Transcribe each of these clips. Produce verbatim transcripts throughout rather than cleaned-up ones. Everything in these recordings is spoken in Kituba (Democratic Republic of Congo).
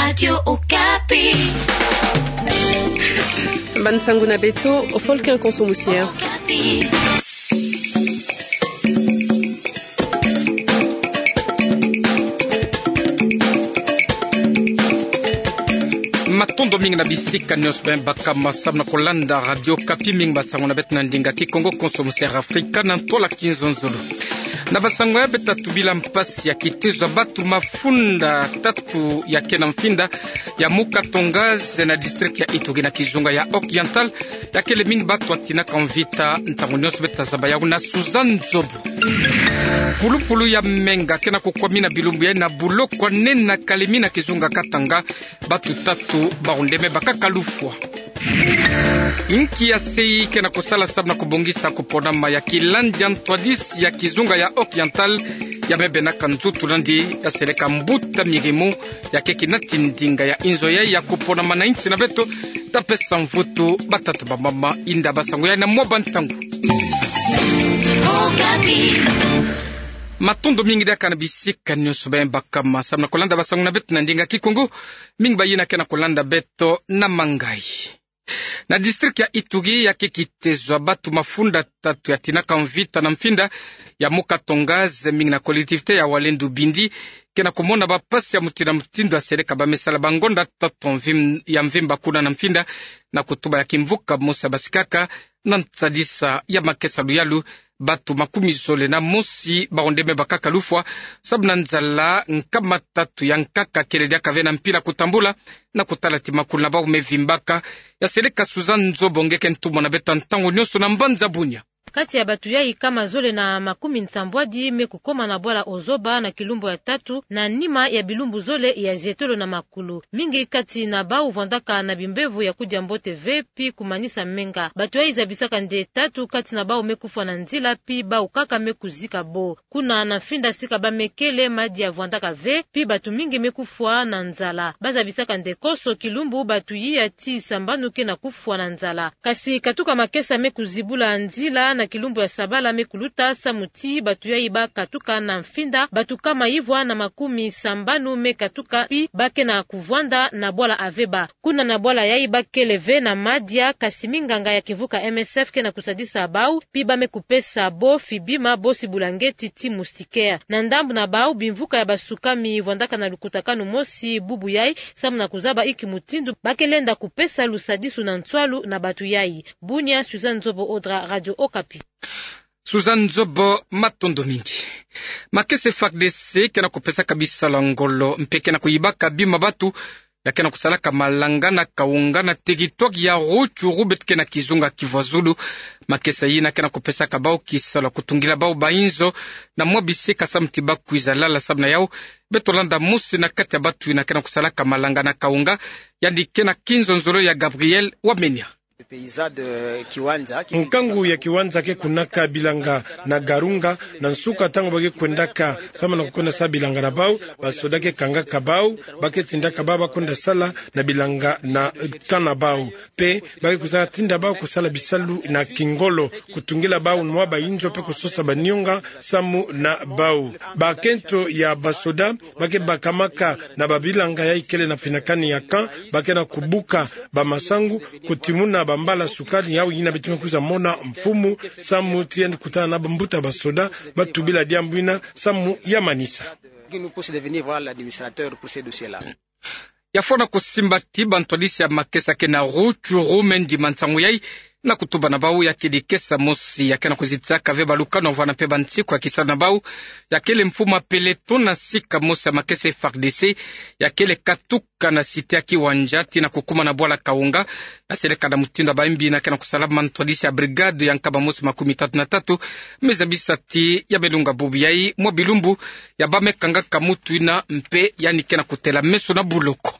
Radio Okapi. Ba nsangu na beto, Volker Konso Musier. Okapi. Matondo mingi na bisika nyonso beno baka ma samu na kolanda Radio Okapi. Mingi ba nsangu na beto na ndinga Kikongo, Konso Musier Afrika na ntwala kinzonzolo. Na ba nsangu ya beto, tatu bila mpasi ya kitezo ya batu mafunda tatu ya ke na mfinda ya Muka Tonga ze na district ya Ituri na kizunga ya Oriental, ya kele mingi batu ya tinaka mvita. Ntangu nyonso beto ta zaba yawu na Suzanne Nzobo. Pulupulu ya menga ke na kukwamina bilumbu ya na buloko ya nene na Kalemi na kizunga Katanga, batu tatu bawu nde me bakaka lufwa. Inki ya sei ke na kusala samu na kubongisa kuponama ya kilandi ya ntwadisi ya kizunga ya Oriental, ya me bena ka nzutu nandi ya seleka mbuta mirimu ya keki nati ndinga ya inzo ya ya kuponama na insi na beto. Ta pesa mvutu batata bamama, inda ba nsangu ya na mwa ba ntangu. Matondo mingi diaka na bisika nyonso beno baka ma samu na kolanda ba nsangu na beto na ndinga Kikongo. Mingi bayina ke na kolanda beto na mangayi. Na district ya Ituri, ya ke kitezo ya batu mafunda tatu ya tinaka mvita na mfinda ya Muka Tonga ze, mingi na collectivité ya Walendu Bindi ke na kumona ba mpasi ya mutindu na mutindu ya seleka ba me sala ba ngonda tatu mvim-, ya mvimba kuna na mfinda, na kutuba ya kimvuka mosi ya basikaka na nsadisa ya makesa luyalu. Batu makumi zole na mosi bawu nde me bakaka lufwa samu na nzala. Nkama tatu ya nkaka kele diaka ve na mpila kutambula na kutala ti makulu na bawu me vimbaka. Ya seleka Suzanne Nzobo nge ke ntumwa na beto ntangu nyonso na mbanza Bunia. Kati ya batu yayi, nkama zole na makumi nsambwadi me kukoma na bwala Ozoba na kilumbu ya tatu, na nima ya bilumbu zole ya zietolo na makulu. Mingi kati na bawu vwandaka na bimbevo ya kudia mbote ve, pi kumanisa menga. Batu yayi zabisaka nde tatu kati na bawu me kufwa na nzila, pi bawu kaka me kuzika bo. Kuna na mfinda sika ba me kele, madia vwandaka ve, pi batu mingi me kufwa na nzala. Ba zabisaka nde konso kilumbu batu yiya ti sambanu ke na kufwa na nzala. Kasi katuka makesa me kuzibula nzila na kilumbu ya sabala me kuluta, samu ti batu yayi ba katuka na mfinda, batu nkama ivwa na makumi sambanu me katuka, pi ba ke na kuvwanda na bwala Aveba. Kuna na bwala yayi ba kele ve na madia, kasi minganga ya kimvuka M S F ke na kusadisa bawu, pi ba me kupesa bo fibima bosi bulangeti ti moustiquaire. Na ndambu na bawu, bimvuka ya basukami vwandaka na lukutakanu mosi bubu yayi, samu na kuzaba inki mutindu ba ke lenda kupesa lusadisu na nswalu na batu yayi. Bunia, Suzanne Nzobo Odra, Radio Okapi. Suzanne Nzobo, matondo mingi. Makesa F A R D C ke na kupesaka bisalu ya ngolo mpe ke na kuyibaka bima batu ya ke na kusalaka malanga na Kaunga na territoire ya Rutshuru, beto ke na kizunga Kivu ya Zulu. Makesa yina ke na kupesaka bawu kisalu ya kutungila bawu ba inzo na mwa bisika samu ti ba kwiza lala. Samu na yawu, beto landa mosi na kati ya batu yina ke na kusalaka malanga na Kaunga, yandi ke na kinzonzolo ya Gabriel Wamenia. Nkangu ya Kiwanja ke kunaka bilanga na Garunga, na nsuka ntangu ba ke kwendaka samu na kukwenda sa bilanga na bawu, basoda ke kangaka bawu, ba ke tindaka bawu ba kwenda sala na bilanga na camp na bawu. Mpe ba ke kwiza tinda bawu kusala bisalu na kingolo, kutungila bawu mwa ba inzo mpe kusosa ba nionga samu na bawu. Bakento ya basoda ba ke bakamaka na babilanga yayi kele na finakani ya camp, ba ke na kubuka bamasangu, kutimuna bambala sukali, yawu yina beto me kwiza mona mfumu, samu ti yandi kutana na bambuta basoda, ba tubila diambu yina samu ya manisa. Ya fwana kusimba ti bantwadisi ya makesa ke na Rutshuru me ndima nsangu yayi, na kutuba na bawu ya kedi kesa mosi ya ke na kuzitisaka ve balukanu ya vwana mpe bansiku ya kisalu na bawu, ya kele mfumu ya peloton na sika mosi ya makesa F A R D C, ya kele katuka na cité ya Kiwanja tii na kukuma na bwala Kaunga, na seleka na mutindu ya bayimbi yina ke na kusala. Mantwadisi ya brigade ya nkama mosi makumi tatu na tatu me zabisa ti ya me lunga bubu yayi mwa bilumbu ya ba me kangaka mutu yina mpe yandi ke na kutela meso na buloko.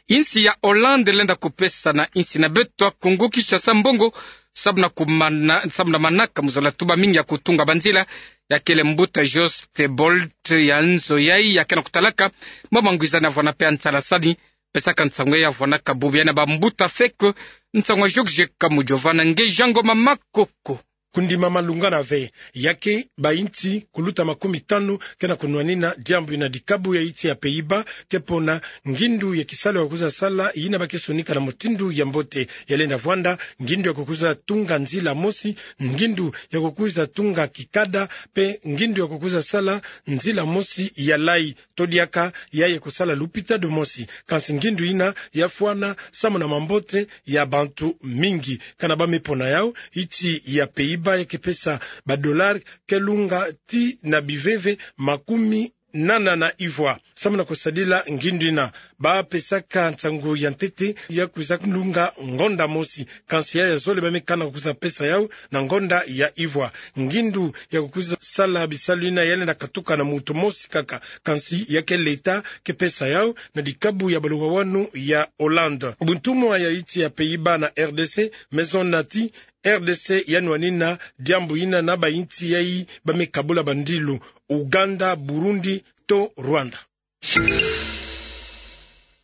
Insi ya Hollande lenda kupesa na insi na beto ya Kongo Kinshasa mbongo samu na kumana-, samu na manaka mu zola tuba mingi ya kutunga banzila. Ya kele mbuta Jos Theobald ya nzo yayi ya ke na kutalaka mwa mangwizani ya vwana mpe ya nsalasani, pesaka nsangu yayi ya vwanaka bubu yayi na bambuta feke. Nsangu ya George Kamujova Fernandes nge Jean Ngoma Makoko. kundima malungana ve. Ya ke bainti kuluta makumi tanu ke na kunwanina diambu ina. Dikabu ya insi ya Pays-Bas ke pona ngindu ya kisalu ya kwiza sala ina ba ke sonika na mutindu ya mbote. Ya lenda vwanda ngindu ya kukwiza tunga nzila mosi, ngindu ya kukwiza tunga kikada, mpe ngindu ya kukwiza sala nzila mosi ya layi. To diaka ya ye kusala lupitalu mosi. Kansi ngindu ina ya fwana samu na mambote ya bantu mingi. Kana ba me pona yau, insi ya Pays-Bas ya ke pesa ba dollars ke lunga tii na biveve makumi nana na ivwa. Samu na kusadila ngindu ina, ba pesaka nsangu ya ntete ya kwiza lunga ngonda mosi. Kansi ya ya zole ba me kana kwiza pesa yau na ngonda ya ivwa. Ngindu ya kukwiza sala bisalu ina ya lenda katuka na mutu mosi kaka. Kansi ya ke leta ke pesa yau na dikabu ya baluwawanu ya Hollande. Buntumwa ya insi ya Pays-Bas na R D C me zona ti R D C ya nwanina diambu ina na bainsi yayi ba me kabula bandilu, Ouganda, Burundi to Rwanda.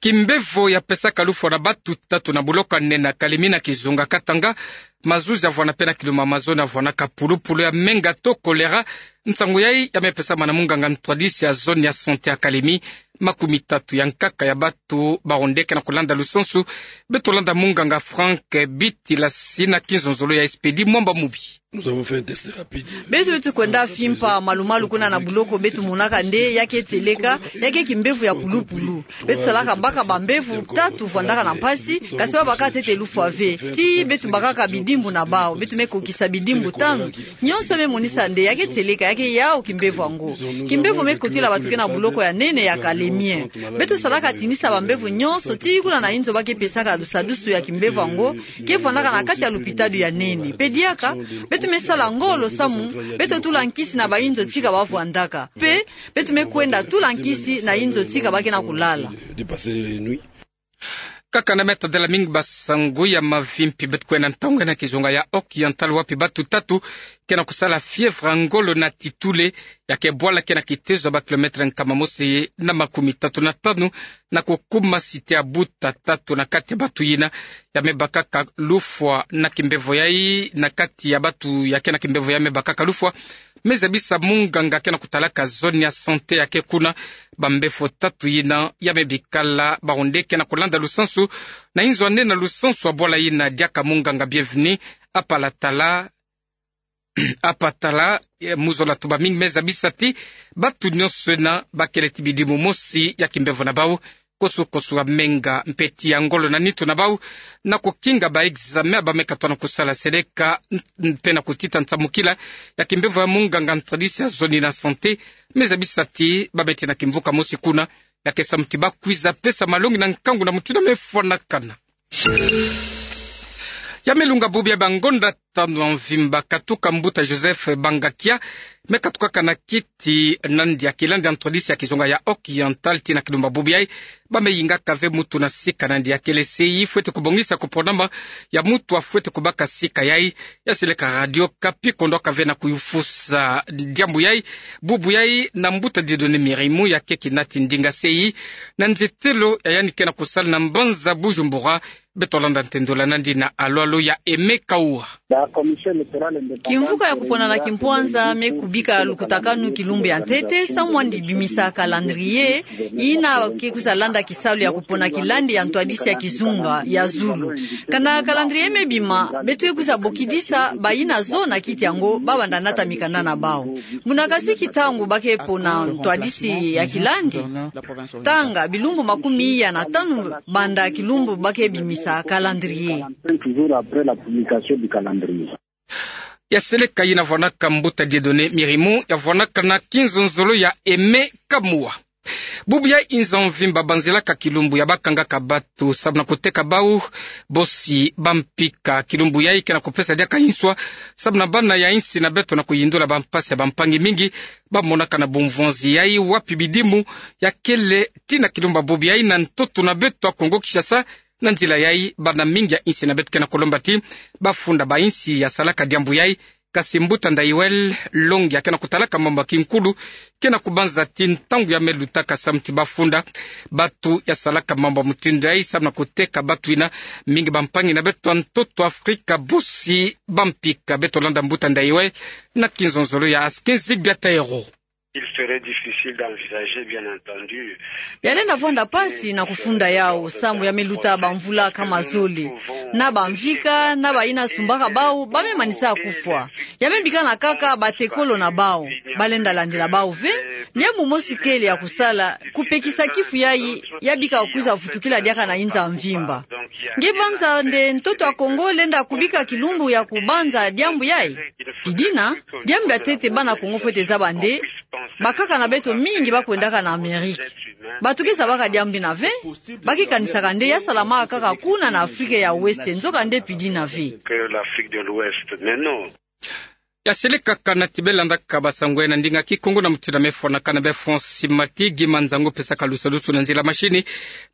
Kimbevo ya pesaka lufwa na batu tatu na buloko ya nene ya Kalemi na kizunga Katanga. Mazuzi ya vwana mpe na kiluma mazono ya vwanaka pulupulu ya menga to choléra. Nsangu yayi ya me pesama na munganga ntwadisi ya zone ya santé ya Kalemi. Makumi tatu ya nkaka ya batu ba onde ke na kulanda lusansu. Beto landa munganga Franck Bitilasi na kinzonzolo ya Expédit Mwamba Mubi. Beto, beto kwenda fimpa malumalu kuna na buloko, beto monaka nde ya ke tieleka, ya ke kimbevo ya pulupulu. Beto salaka baka bambevo tatu vwandaka na mpasi, kasi ba baka ntete lufwa ve. Tii beto bakaka bidimbu na bau, beto me kokisa bidimbu tanu. Nyonso me monisa nde ya ke tieleka, ya ke yau kimbevo yango. Kimbevo me kotila batu ke na buloko ya nene ya Kalemi. Beto salaka tinisa bambevo nyonso tii kuna na inzo ba ke pesaka dusadusu ya kimbevo yango, ke vwandaka na kati ya lupitalu ya nene. Mpe diaka, beto me sala ngolo samu beto tula nkisi na bainzo tika ba vwandaka. Mpe beto me kwenda tula nkisi na inzo tika ba ke na kulala. Kaka na meta de la mingi basangu ya mavimpi, beto kwenda ntangu na kizunga ya Occidental, wapi batu tatu ke na kusala fièvre ya ngolo na titule, ya ke bwala ke na kitezo ya ba kilomètre nkama mosi na makumi tatu na tanu, na kukuma cité ya Buta tatu na kati ya batu yina ya me bakaka lufwa na kimbevo yayi na kati ya batu ya ke na kimbevo ya me bakaka lufwa. Me zabisa munganga ke na kutalaka zone ya santé ya ke kuna, bambevo tatu yina ya me bikala ba onde ke na kulanda lusansu na inzo ya nene na lusansu ya bwala yina. Diaka munganga Bienvenu Apalatala, Apatala, eh, mu zola tuba mingi, me zabisa ti batu nyonso yina ba kele ti bidimu mosi ya kimbevo na bau, kosukosu ya menga mpe ti ya ngolo na nitu na bau, na kukinga ba examen ba me katoa na kusala seleka, n-, mpe na kutita nsamukila ya kimbevo ya munganga ntwadisi ya zone na santé. Me zabisa ti ba me ti na kimvuka mosi kuna, ya ke samu ti ba kwiza pesa malongi na nkangu na mutindu ya me fwanakana. Ya me lunga bubu ya ba ngonda tanu ya mvimba, katuka mbuta Joseph Bangakia me katukaka na kiti nandi ya kilandi ya ntwadisi ya kizunga ya Occidental tii na kilumbu bubu yayi. Ba me yingaka ve mutu na sika nandi ya kele C I fwete kubongisa kuponama ya mutu a fwete kubaka sika yayi. Ya seleka Radio Okapi, kondoka ve na kuyufusa diambu yayi, bubu yayi, na mbuta Dieudonné Mirimu, ya ke kinati ndinga C I na nzetelo ya yandi ke na kusala na mbanza Bujumbura. Beto landa ntendolo nandi na alwalo ya Aimé Kaua. Kimvuka ya kupona na kimpwanza me kubika lukutakanu kilumbu ya ntete, samu andi bimisa calendrier yina ke kwiza landa kisalu ya kupona kilandi ya ntwadisi ya kizunga ya zulu. Kana calendrier me bima, beto kwiza bokidisa bayina zo na kiti yango, ba banda nata mikanda na bau. Muna kasiki ntangu ba ke pona ntwadisi ya kilandi, tanga bilumbu makumi iya na tanu banda kilumbu ba ke bimisa calendrier. Ya seleka yina vwanaka mbuta Dieudonné Mirimu, ya vwanaka na kinzonzolo ya Aimé Kaua. Bubu ya inza mvimba banzilaka kilumbu ya ba kangaka batu samu na kuteka bau bosi bampika. Kilumbu yayi ke na kupesa diaka inswa samu na bana ya insi na beto na kuyindula bampasi ya bampangi mingi ba monaka na bumvwanzi yayi, wapi bidimu ya kele tii na kilumbu bubu yayi na ntoto na beto ya Kongo Kinshasa. Na nzila yayi, bana mingi ya insi na beto ke na kulomba ti ba funda ba insi ya salaka diambu yayi Kasi mbuta Ndayuel, longi ya ke na kutalaka mambu ya kinkulu ke na kubanza ti ntangu ya me lutaka samu ti bafunda. Bantu ya salaka mambu ya mutindu yayi samu na kuteka bantu yina, mingi bampangi na beto ya ntoto Afrika, bosi bampika. Beto landa mbuta Ndayuel na kinzonzolo ya Askin Zigbiataero. Il serait difficile d'envisager, bien entendu. Ya lenda vwanda mpasi na kufunda yawu, samu ya me luta bamvula kama zole. Na bamvika, na bayina sumbaka bawu, ba me manisa kufwa. Ya me bikana kaka batekolo na bawu. Ba lenda landila bawu ve, diambu mosi kele ya kusala, kupekisa kifu yayi, ya bika kwiza vutukila diaka na inza mvimba. Nge banza nde ntoto ya Kongo lenda kubika kilumbu ya kubanza diambu yayi? Pi dina, diambu ya ntete bana Kongo fwete zaba nde, bakaka na beto mingi ba kwendaka na Amerike. Bato ke zabaka diambu yina ve, ba ke kanisaka nde ya salamaka kaka kuna na Afrika ya Ouest, nzoka nde pi dina ve. Que l'Afrique de l'Ouest, mais non. Ya sele kaka na ti be landaka basango ya na ndinga Kikongo na mutindu ya me fwanaka na be France Mati, Guy Manzango pesaka lusadusu na nzila mashini.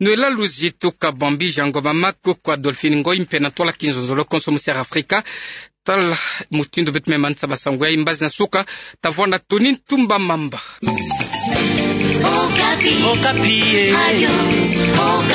Noëlla Luzito Kabambi, Jean Ngoma Makoko, Adolphine Ngoy mpe na ntwala kinzonzolo konso mu Sierra Africa. Tala mutindu beto me manisa basango yayi, mbazi na suka, ta vwanda Tony Ntumba Mamba. Okapi. Okapi, eh. Radio Okapi.